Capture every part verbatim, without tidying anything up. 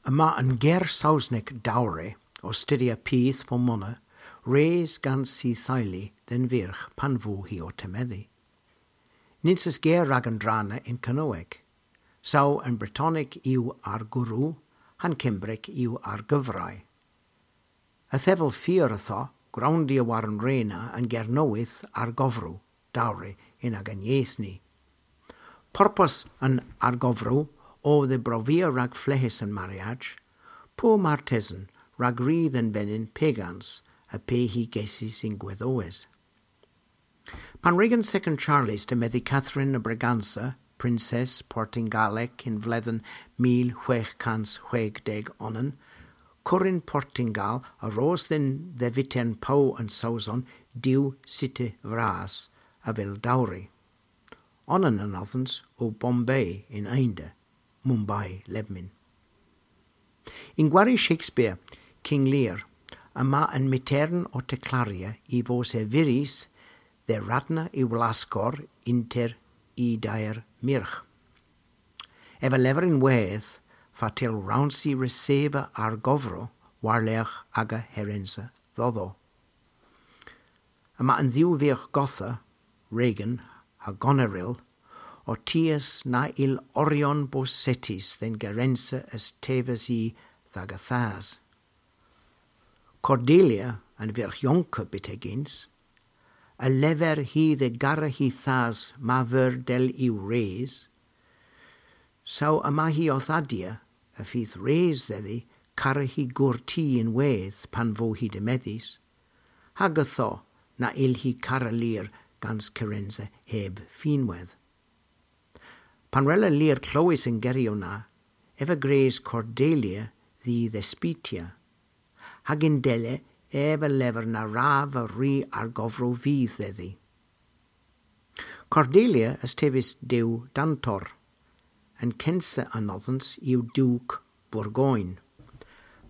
Yma an ger Sowsnek dowry, ow studhya piw po mona, res gans hy theylu dhe'n vyrgh pan vo hi ow temedhi. Nyns eus ger rag an dra na yn Kernowek. Saw an Bretonek yw arguru, ha'n Kembrek yw argyfrei. Yth ev ow fur ytho, growndya war an re na an ger nowydh argovru, dowry, yn agan yeth ni. Purpos an argovru o dhe brovia rag fleghes an mariaj, po martesen rag ri dhe'n venyn pegans, ha pe hy gessis yn gwedhowes. Pan wrug an Second Charles demedhi Catherine a Braganza, Prinses Portyngalek yn vledhen mil hwegh kans hwegh deg onan, kurun Portyngal a ros dhyn dhe Fitern Pow an Sowson diw sita vras avel dowry. Onan anodhans o Bombay yn Ynda, Mumbai, lebmyn. Yn gwari Shakespeare, King Lear, yma an mytern ow deklaria y vos ev vyrys dhe radna y wlaskor ynter y deyr myrgh. Ev a lever ynwedh fatel wrons i reseva argovru war-lergh aga herensa dhodho. Yma an dhew vyrgh godha, Regan ha Goneril, ow tias na yll oryon bos setys dhe'n gerensa a's tevas i dh'aga thas. Cordelia, an vyrgh yonka byttegyns, a lever hi dhe gara hy thas ma veur dell yw res. Saw yma hi owth adya y fydh res dhedhi kara hy gourti ynwedh pan vo hi demedhys, hag ytho na yll hi kara Lear gans kerensa heb finwedh. Pan wrella Lear klowes an geryow na, ev a gres Cordelia dh'y dhespitya, hag yndella ev a lever na wrav ri argovru vyth dhedhi. Cordelia a's teves dew dantor, an kensa anodhans yw Duk Bourgogne.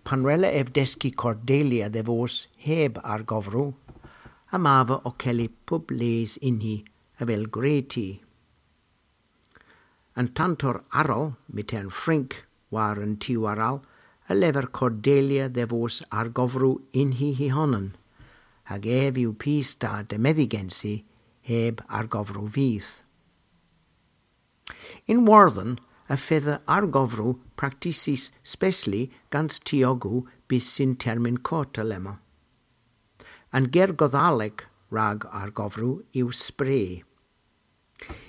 Pan wrella ev deski Cordelia dhe vos heb argovru, yma ev ow kelli pub les ynni avel gwre'ti. An tantor arall, mytern Frynk, war an tiw arall, a lever Cordelia dhe vos argovru ynni hy honan, hag ev yw pys da demedhi gensi heb argovru vyth. Yn Wordhen y fedha argovru praktisys spesli gans tiogow bys yn termyn kort alemma. An ger Godhalek rag argovru yw spray.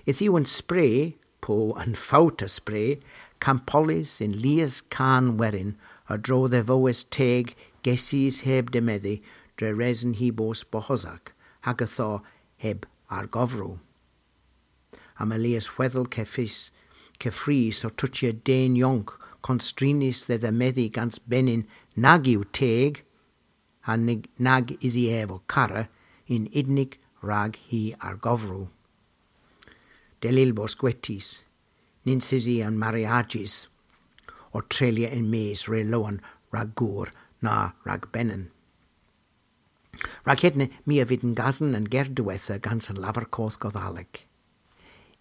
Yth yw an spray, po an fowt a spray, kampollys yn lies kan werin a-dro dhe vowes teg gesys heb demedhi dre reson hy bos bohosak, hag ytho heb argovru. Yma lies hwedhel keffrys, keffrys ow tochya den yonk konstrynys dhe dhemedhi gans benyn nag yw teg, ha nag, nag usi ev ow kara yn unnik rag hy argovru. Dell yll bos gwetys, nyns usi an mariajys ow treylya yn-mes re lowen rag gour na rag benyn. Rag hedna my a vydh yn gasen an ger diwettha gans an Lavar Koth Godhalek.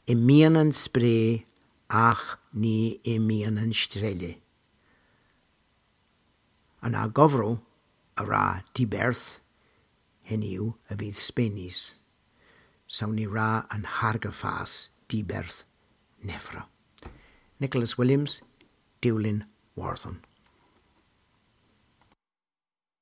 Ymyon an spray, agh ny ymyon an strelya. An argovru a wra diberth, henn yw a vydh spenys. Saw ny wra an hargafas diberth nevra. Nicholas Williams, Dewlin Wordhen.